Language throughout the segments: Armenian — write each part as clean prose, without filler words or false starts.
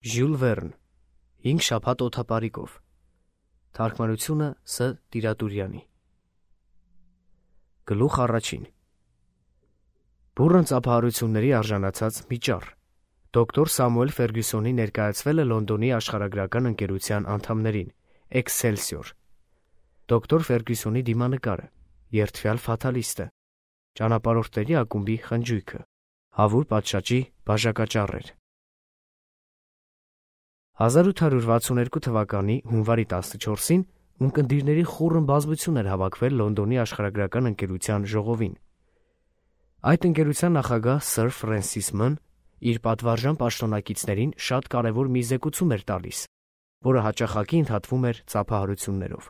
Ժյուլ Վերն, 5 շաբաթ օդապարիկով, թարգմանությունը Ս. Տիրատուրյանի։ Գլուխ առաջին։ Բուռն ծափահարությունների արժանացած մի ճառ։ Դոկտոր Սամուել Ֆերգյուսոնի ներկայացվել է Լոնդոնի աշխարհագրական ընկերության անդամներին, Էքսելսիոր։ Դոկտոր Ֆերգյուսոնի դիմանկարը, երդվյալ ֆաթալիստը, ճանապարհորդների ակումբի խնջույքը, հավուր պատշաճի բաժակաճառեր։ 1862 թվականի հունվարի 14-ին ունկնդիրների խուռն բազմություն էր հավաքվել Լոնդոնի աշխարհագրական ընկերության ժողովին։ Այդ ընկերության նախագահ Սըր Ֆրենսիս Ման իր պատվարժան պաշտոնակիցներին շատ կարևոր մի զեկուցում էր տալիս, որը հաճախակի ընդհատվում էր ծափահարություններով։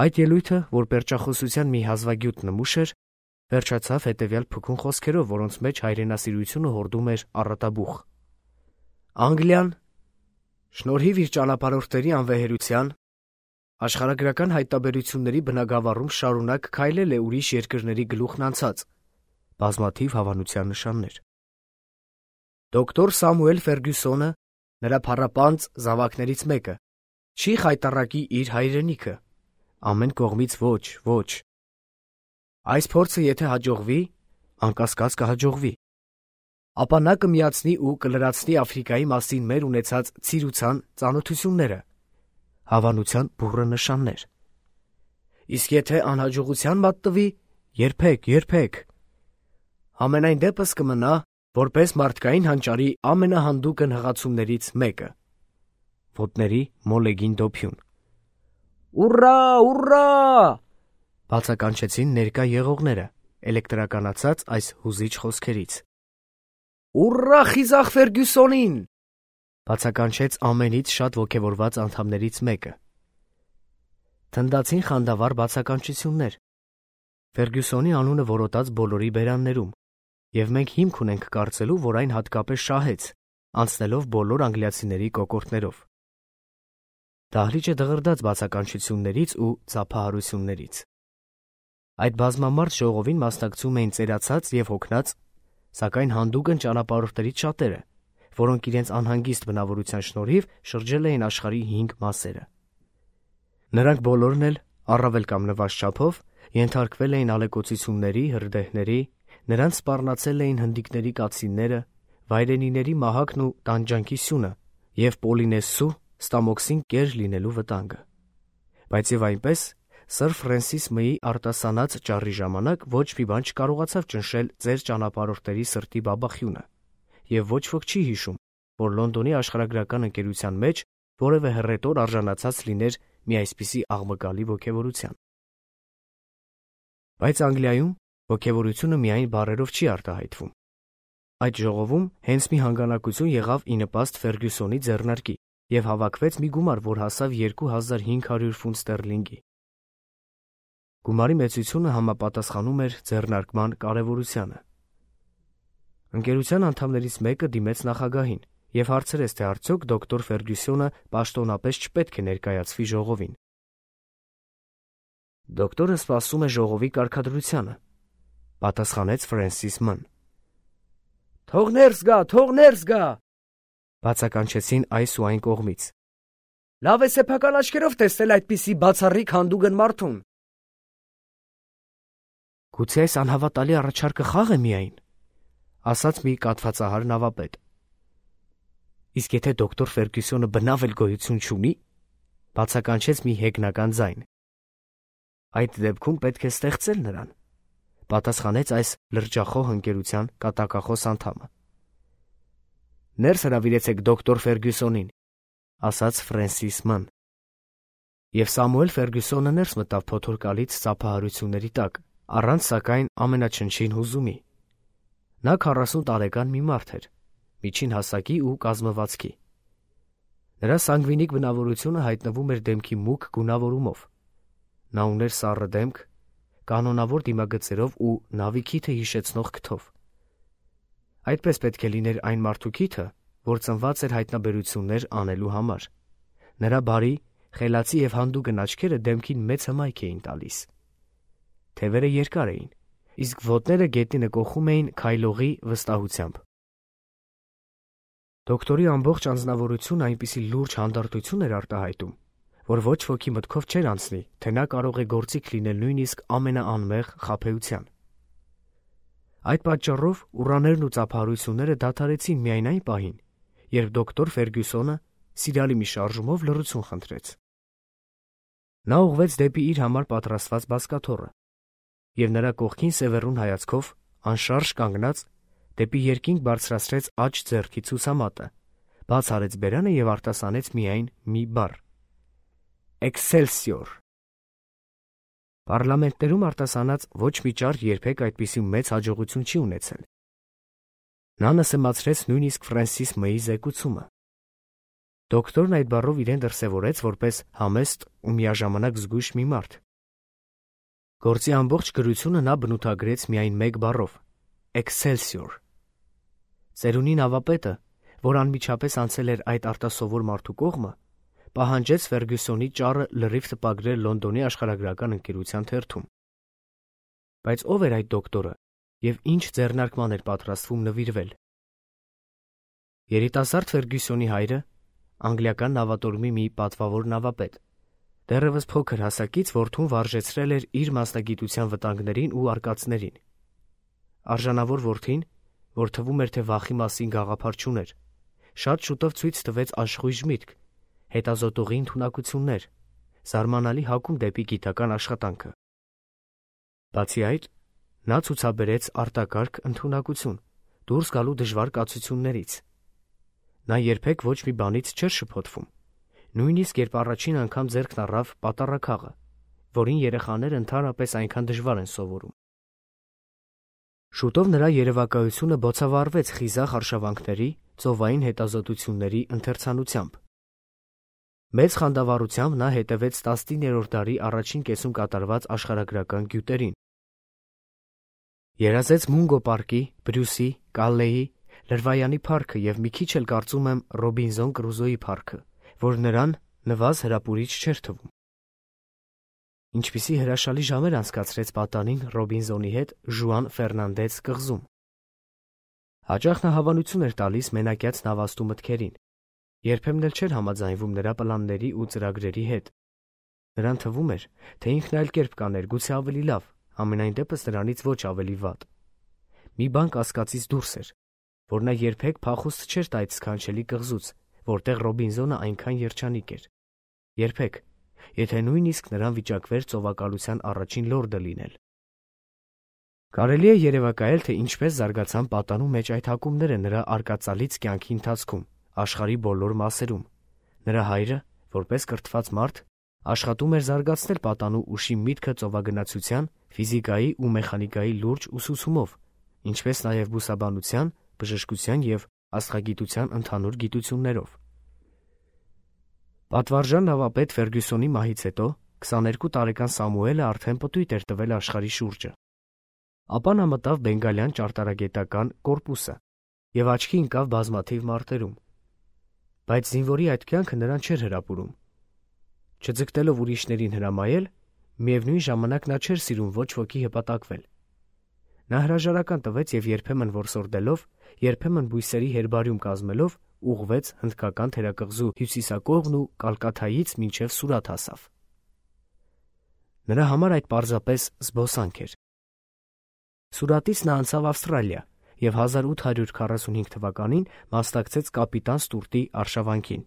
Այդ ելույթը, որ պերճախոսության մի հազվագյուտ նմուշ էր, վերջացավ հետևյալ փքուն խոսքերով, որոնց մեջ հայրենասիրությունը հորդում էր առատաբուխ։ Անգլիան, շնորհիվ իր ճանապարհորդների անվեհերության, աշխարհագրական հայտնաբերությունների բնագավառում շարունակ քայլել է ուրիշ երկրների գլուխն անցած, բազմաթիվ հավանության նշաններ։ Դոկտոր Սամուել Ֆերգյուսոնը, նրա փառապանծ զավակներից մեկը, չի խայտառակի իր հայրենիքը, ամեն կողմից ոչ։ Այս փորձը եթե հաջողվի, անկասկած կհաջողվի, ապա նա կմիացնի ու կլրացնի Աֆրիկայի մասին մեր ունեցած ցիրուցան ծանոթությունները, հավանության բուռն նշաններ։ Իսկ եթե անհաջողության մատնվի, երբեք։ Համենայն դեպս կմնա, որպես մարդկային հանճարի ամենահանդուգն հղացումներից մեկը։ Ոտների մոլեգին դոփյուն։ Ուռա! Բացականչեցին ներկա եղողները, էլեկտրականացած այս հուզիչ խոսքերից։ Ուռա խիզախ Ֆերգյուսոնին! Բացականչեց ամենից շատ ոգևորված անդամներից մեկը։ Թնդացին խանդավառ բացականչություններ։ Ֆերգյուսոնի անունը որոտաց բոլորի բերաններում, և մենք հիմք ունենք կարծելու, որ այն հատկապես շահեց, անցնելով բոլոր անգլիացիների կոկորդներով։ Դահլիճը դղրդաց բացականչություններից ու ծափահարություններից։ Այդ բազմամարդ ժողովին մասնակցում էին ծերացած և հոգնած, սակայն հանդուգն ճանապարհորդներից շատերը, որոնք իրենց անհանգիստ բնավորության շնորհիվ շրջել էին աշխարհի 5 մասերը։ Նրանք բոլորն էլ, առավել կամ նվազդ չափով, ենթարկվել էին ալեկոծությունների, հրդեհների, նրանց սպառնացել էին հնդիկների կացինները, վայրենիների մահակն ու տանջանքի սյունը և Պոլինեսու ստամոքսին կեր լինելու վտանգը։ Բայց և այնպես, Սըր Ֆրենսիս Մըի արտասանած ճառի ժամանակ ոչ մի բան չկարողացավ ճնշել ծեր ճանապարհորդների սրտի բաբախյունը, և ոչ ոք չի հիշում, որ Լոնդոնի աշխարհագրական ընկերության մեջ որևէ հռետոր արժանացած լիներ մի այսպիսի աղմկալի ոգևորության։ Բայց Անգլիայում ոգևորությունը միայն բառերով չի արտահայտվում։ Այդ ժողովում հենց մի հանգանակություն եղավ ի նպաստ Ֆերգյուսոնի ձեռնարկի և հավաքվեց մի գումար, որ հասավ 2500 ֆունտ ստերլինգի։ Գումարի մեծությունը համապատասխանում էր ձեռնարկման կարևորությանը։ Ընկերության անդամներից մեկը դիմեց նախագահին և հարցրեց, թե արդյոք դոկտոր Ֆերգյուսոնը պաշտոնապես չպետք է ներկայացվի ժողովին։ Դոկտորը սպասում է ժողովի կարգադրությանը, պատասխանեց Ֆրենսիս Ման։ Թող ներս գա, բացականչեցին այս ու այն կողմից։ Լավ է սեփական աչքերով տեսնել այդպիսի բացառիկ հանդուգն մարդուն։ Գուցե այս անհավատալի առաջարկը խաղ է միայն, ասաց մի կաթվածահար նավապետ։ Իսկ եթե դոկտոր Ֆերգյուսոնը բնավ էլ գոյություն չունի, բացականչեց մի հեգնական ձայն։ Այդ դեպքում պետք է ստեղծել նրան, պատասխանեց այս լրջախոհ ընկերության կատակախոս անդամը։ Ներս հրավիրեցեք դոկտոր Ֆերգյուսոնին, ասաց Ֆրենսիս Ման։ Եվ Սամուել Ֆերգյուսոնը ներս մտավ փոթորկալից ծափահարությունների տակ, առանց սակայն ամենաչնչին հուզումի։ Նա 40 տարեկան մի մարդ էր, միջին հասակի ու կազմվածքի։ Նրա սանգվինիկ բնավորությունը հայտնվում էր դեմքի մուգ գունավորումով։ Նա ուներ սառը դեմք, կանոնավոր դիմագծերով ու նավի քիթը հիշեցնող քթով։ Այդպես պետք է լիներ այն մարդու քիթը, որ ծնված էր հայտնաբերություններ անելու համար։ Նրա բարի, խելացի և հանդուգն աչքերը դեմքին մեծ հմայք էին տալիս։ Թևերը երկար էին, իսկ ոտները գետինը կոխում էին քայլողի վստահությամբ։ Դոկտորի ամբողջ անձնավորությունը այնպիսի լուրջ հանդարտություն էր արտահայտում, որ ոչ ոքի մտքով չէր անցնի, թե նա կարող է գործիք լինել նույնիսկ ամենաանմեղ խաբեության։ Այդ պատճառով ուռաներն ու ծափահարությունները դադարեցին միայն այն պահին, երբ դոկտոր Ֆերգյուսոնը սիրալի մի շարժումով լռություն խնդրեց։ Նա ուղղվեց դեպի իր համար պատրաստված բազկաթոռը, և նրա կողքին սևեռուն հայացքով, անշարժ կանգնած, դեպի երկինք բարձրացրեց աջ ձեռքի ցուցամատը, բաց արեց բերանը և արտասանեց միայն մի բառ. Excelsior։ Պառլամենտներում արտասանած ոչ մի ճառ երբեք այդպիսի մեծ հաջողություն չի ունեցել։ Նա նսեմացրեց նույնիսկ Ֆրենսիս Մեյի զեկուցումը։ Դոկտորն այդ բառով իրեն դրսևորեց որպես համեստ ու միաժամանակ զգույշ մի մարդ։ Գործի ամբողջ գրությունը նա բնութագրեց միայն մեկ բառով՝ Excelsior։ Ծերունի նավապետը, որ անմիջապես անցել էր այդ արտասովոր մարդու կողմը, պահանջեց Ֆերգյուսոնի ճառը լրիվ տպագրել Լոնդոնի աշխարհագրական ընկերության թերթում։ Բայց ով էր այդ դոկտորը և ինչ ձեռնարկման էր պատրաստվում նվիրվել։ Երիտասարդ Ֆերգյուսոնի հայրը, անգլիական նավատորմի մի պատվավոր նավապետ, դեռևս փոքր հասակից որդուն վարժեցրել էր իր մասնագիտության վտանգներին ու արկածներին։ Արժանավոր որդին, որ թվում էր, թե վախի մասին գաղափար չուներ, շատ շուտով ցույց տվեց աշխույժ միտք, հետազոտողի ընդունակություններ, զարմանալի հակում դեպի գիտական աշխատանքը։ Բացի այդ, նա ցուցաբերեց արտակարգ ընդունակություն դուրս գալու դժվար կացություններից։ Նա երբեք ոչ մի բանից չէր շփոթվում, նույնիսկ երբ առաջին անգամ ձեռքն առավ պատառաքաղը, որին երեխաները ընդհանրապես այնքան դժվար են սովորում։ Շուտով նրա երևակայությունը բոցավառվեց խիզախ արշավանքների, ծովային հետազոտությունների ընթերցանությամբ։ Մեծ խանդավառությամբ նա հետևեց 19-րդ դարի առաջին կեսում կատարված աշխարհագրական գյուտերին։ Երազեց Մունգո պարկի, Բրյուսի, Կալլեի, Լրվայանի փառքը և մի քիչ էլ կարծում եմ Ռոբինզոն Կրուզոյի փառքը, որ նրան նվազ հրապուրիչ չէր թվում։ Ինչպիսի հրաշալի ժամեր անցկացրեց պատանին Ռոբինզոնի հետ Ժուան Ֆերնանդեց կղզում։ Հաճախ նա հավանություն էր տալիս մենակյաց նավաստու մտքերին, երբեմն էլ չէր համաձայնվում նրա պլանների ու ծրագրերի հետ։ Նրան թվում էր, թե ինքն այլ կերպ կաներ, գուցե ավելի լավ, համենայն դեպս նրանից ոչ ավելի վատ։ Մի բան կասկածից դուրս էր, որ նա երբեք փախուստ չէր տա այդ սքանչելի կղզուց, որտեղ Ռոբինզոնը այնքան երջանիկ էր։ Երբեք, եթե նույնիսկ նրան վիճակվեր ծովակալության առաջին լորդը լինել։ Կարելի է երևակայել, թե ինչպես զարգացան պատանու մեջ այդ հակումները նրա արկածալից կյանքի ընթացքում, աշխարհի բոլոր մասերում։ Նրա հայրը, որպես կրթված մարդ, աշխատում էր զարգացնել պատանու ուշի միտքը ծովագնացության, ֆիզիկայի ու մեխանիկայի լուրջ ուսուցումով, ինչպես նաև բուսաբանության, բժշկության և աստղագիտության ընդհանուր գիտություններով։ Պատվարժան նավապետ Ֆերգյուսոնի մահից հետո 22 տարեկան Սամուելը արդեն պտույտ էր տվել աշխարհի շուրջը։ Ապա նա մտավ Բենգալյան ճարտարագիտական կորպուսը և աչքի ընկավ բազմաթիվ մարտերում։ Բայց զինվորի այդ կյանքը նրան չէր հրապուրում։ Չձգտելով ուրիշներին հրամայել, միևնույն ժամանակ նա չէր սիրում ոչ ոքի հպատակվել։ Նա հրաժարական տվեց և երբեմն որսորդելով, երբեմն բույսերի հերբարիում կազմելով ուղղվեց հնդկական թերակղզու հյուսիսակողմն ու Կալկաթայից մինչև Սուրաթ հասավ։ Նրա համար այդ պարզապես զբոսանք էր։ Սուրաթից նա անցավ Ավստրալիա և 1845 թվականին մասնակցեց կապիտան Ստուրտի արշավանքին։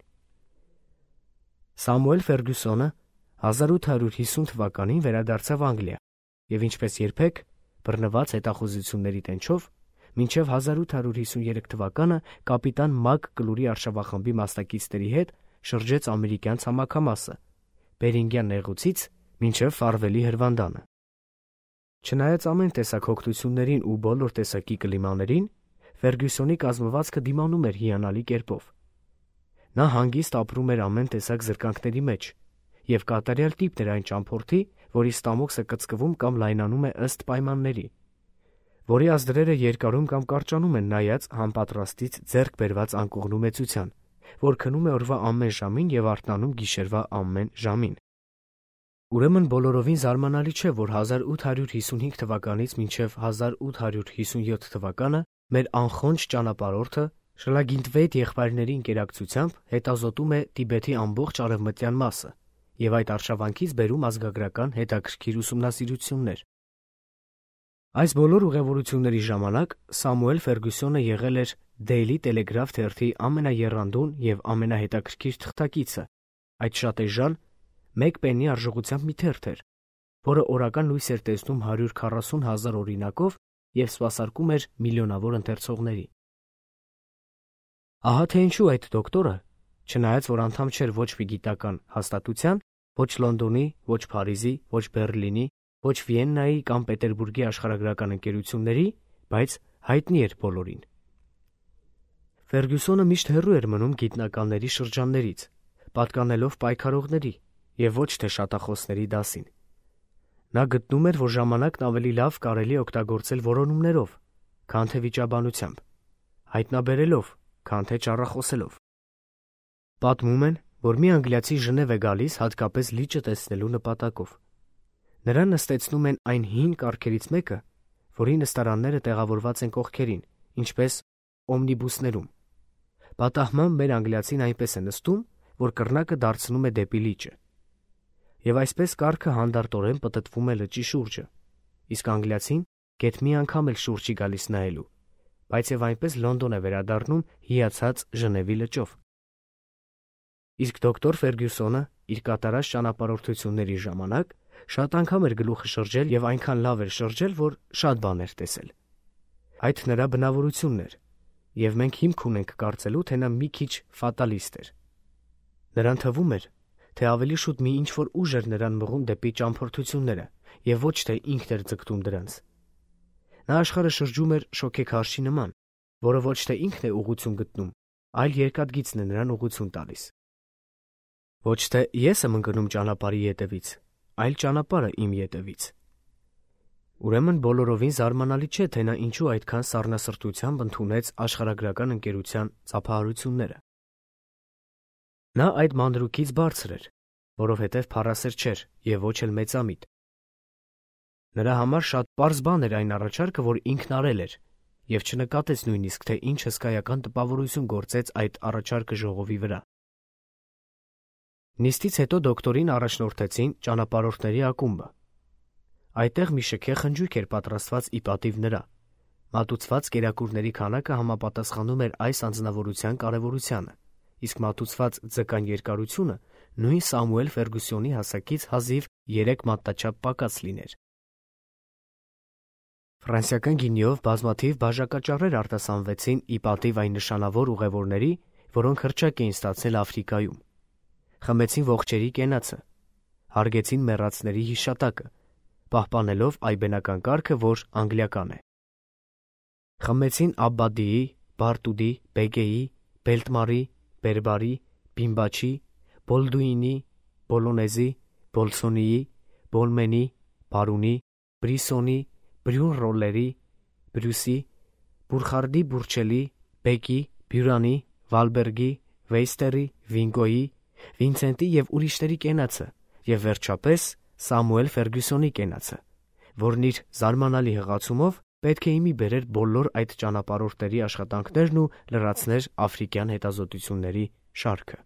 Սամուել Ֆերգյուսոնը 1850 թվականին վերադարձավ Անգլիա և ինչպես երբեք, բռնված հետախուզությունների տենչով, մինչև 1853 թվականը կապիտան Մակ Կլուրի արշավախմբի մասնակիցների հետ շրջեց ամերիկյան ցամաքամասը՝ Բերինգյան նեղուցից մինչև Ֆարվելի հրվանդանը։ Չնայած ամեն տեսակ հոգնություններին ու բոլոր տեսակի կլիմաներին, Ֆերգյուսոնի կազմվածքը դիմանում էր հիանալի կերպով։ Նա հանգիստ ապրում էր ամեն տեսակ զրկանքների մեջ և կատարյալ տիպն էր այն ճամփորդի, որի ստամոքսը կծկվում կամ լայնանում է ըստ պայմանների, որի ազդրերը երկարում կամ կարճանում են նայած համապատրաստից ձեռք բերված անկողնու մեծության, որ քնում է օրվա ամեն ժամին և արթնանում գիշերվա ամեն ժամին։ Ուրեմն բոլորովին զարմանալի չէ, որ 1855 թվականից մինչև 1857 թվականը մեր անխոնջ ճանապարհորդը Շլագինտվեյթ եղբայրների ինկերակցությամբ հետազոտում է Տիբեթի ամբողջ արևմտյան մասը և այդ արշավանքից բերում ազգագրական հետաքրքիր ուսումնասիրություններ։ Այս բոլոր ուղևորությունների ժամանակ Սամուել Ֆերգյուսոնը եղել էր Daily Telegraph թերթի ամենաեռանդուն և ամենահետաքրքիր թղթակիցը, այդ շատ էժան 1 պեննի արժողությամբ մի թերթ էր, որը օրական լույս էր տեսնում 140,000 օրինակով և սպասարկում էր միլիոնավոր ընթերցողների։ Ահա թե ինչու այդ դոկտորը, չնայած որ անդամ չէր ոչ մի գիտական հաստատության, ոչ Լոնդոնի, ոչ Փարիզի, ոչ Բեռլինի, ոչ Վիեննայի կամ Պետերբուրգի աշխարհագրական ընկերությունների, բայց հայտնի էր բոլորին։ Ֆերգյուսոնը միշտ հեռու էր մնում գիտնականների շրջաններից, պատկանելով պայքարողների և ոչ թե շատախոսների դասին։ Նա գտնում էր, որ ժամանակն ավելի լավ կարելի է օգտագործել որոնումներով, քան թե վիճաբանությամբ, հայտնաբերելով, քան թե ճառախոսելով։ Պատմում են, որ մի անգլիացի Ժնև է գալիս հատկապես լիճը տեսնելու նպատակով։ Նրան նստեցնում են այն հին կառքերից մեկը, որի նստարանները տեղավորված են կողքերին, ինչպես օմնիբուսներում։ Պատահմամբ մեր անգլիացին այնպես է նստում, որ կռնակը դարձնում է դեպի լիճը։ Եվ այսպես կառքը հանդարտորեն պտտվում է լճի շուրջը, իսկ անգլիացին գեթ մի անգամ էլ շուրջ չի գալիս նայելու, բայց եւ այնպես Լոնդոն է վերադառնում հիացած Ժնևի լճով։ Իսկ դոկտոր Ֆերգյուսոնը իր կատարած ճանապարհորդությունների ժամանակ շատ անգամ էր գլուխը շրջել եւ այնքան լավ էր շրջել, որ շատ բան էր տեսել։ Այդ նրա բնավորությունն էր, եւ մենք հիմք ունենք կարծելու, թե նա մի քիչ ֆատալիստ էր։ Նրան թվում էր, թե ավելի շուտ մի ինչ-որ ուժ էր նրան մղում դեպի ճամփորդությունները եւ ոչ թե ինքն էր ձգտում դրանց։ Նա աշխարհը շրջում էր շոքեքարշի նման, որը ոչ թե ինքն է ուղղություն գտնում, այլ երկաթգիծն է նրան ուղղություն տալիս։ Ոչ թե ես եմ ընկնում ճանապարհի ետևից, այլ ճանապարհը իմ ետևից։ Ուրեմն բոլորովին զարմանալի չէ, թե նա ինչու այդքան սառնասրտությամբ ընդունեց աշխարհագրական ընկերության ծափահարությունները։ Նա այդ մանրուքից բարձր էր, որովհետև փառասեր չէր եւ ոչ էլ մեծամիտ։ Նրա համար շատ պարզ բան էր այն առաջարկը, որ ինքն արել էր, եւ չնկատեց նույնիսկ, թե ինչ հսկայական տպավորություն գործեց այդ առաջարկը ժողովի վրա։ Նիստից հետո դոկտորին առաջնորդեցին ճանապարհորդների ակումբը։ Այդտեղ մի շքեղ խնջույք էր պատրաստված ի պատիվ նրա։ Մատուցված կերակուրների քանակը համապատասխանում էր այս անձնավորության կարևորությանը, իսկ մատուցված ձկան երկարությունը նույն Սամուել Ֆերգյուսոնի հասակից հազիվ 3 մատնաչափ պակաս լիներ։ Ֆրանսիական գինիով բազմաթիվ բաժակաճառեր արտասանվեցին ի պատիվ այն նշանավոր ուղևորների, որոնք հռչակ էին ստացել Աֆրիկայում։ Խմեցին ողջերի կենացը, հարգեցին մեռածների հիշատակը, պահպանելով այբենական կարգը, որ անգլիական է։ Խմեցին Աբբադիի, Բարտուդի, Բեգեի, Բելտմարի, Բերբարի, Բիմբաչի, Բոլդուինի, Բոլոնեզի, Բոլսոնիի, Բոլմենի, Բարունի, Բրիսոնի, Բրյուն Ռոլլերի, Բրյուսի, Բուրխարդի Բուրչելի, Բեկի, Բյուրանի, Վալբերգի, Վեյստերի, Վինգոյի, Վինցենտի և ուրիշների կենացը և վերջապես Սամուել Ֆերգյուսոնի կենացը, որն իր զարմանալի հղացումով պետք է իմի բերեր բոլոր այդ ճանապարհորդների աշխատանքներն ու լրացներ աֆրիկյան հետազոտությունների շարքը։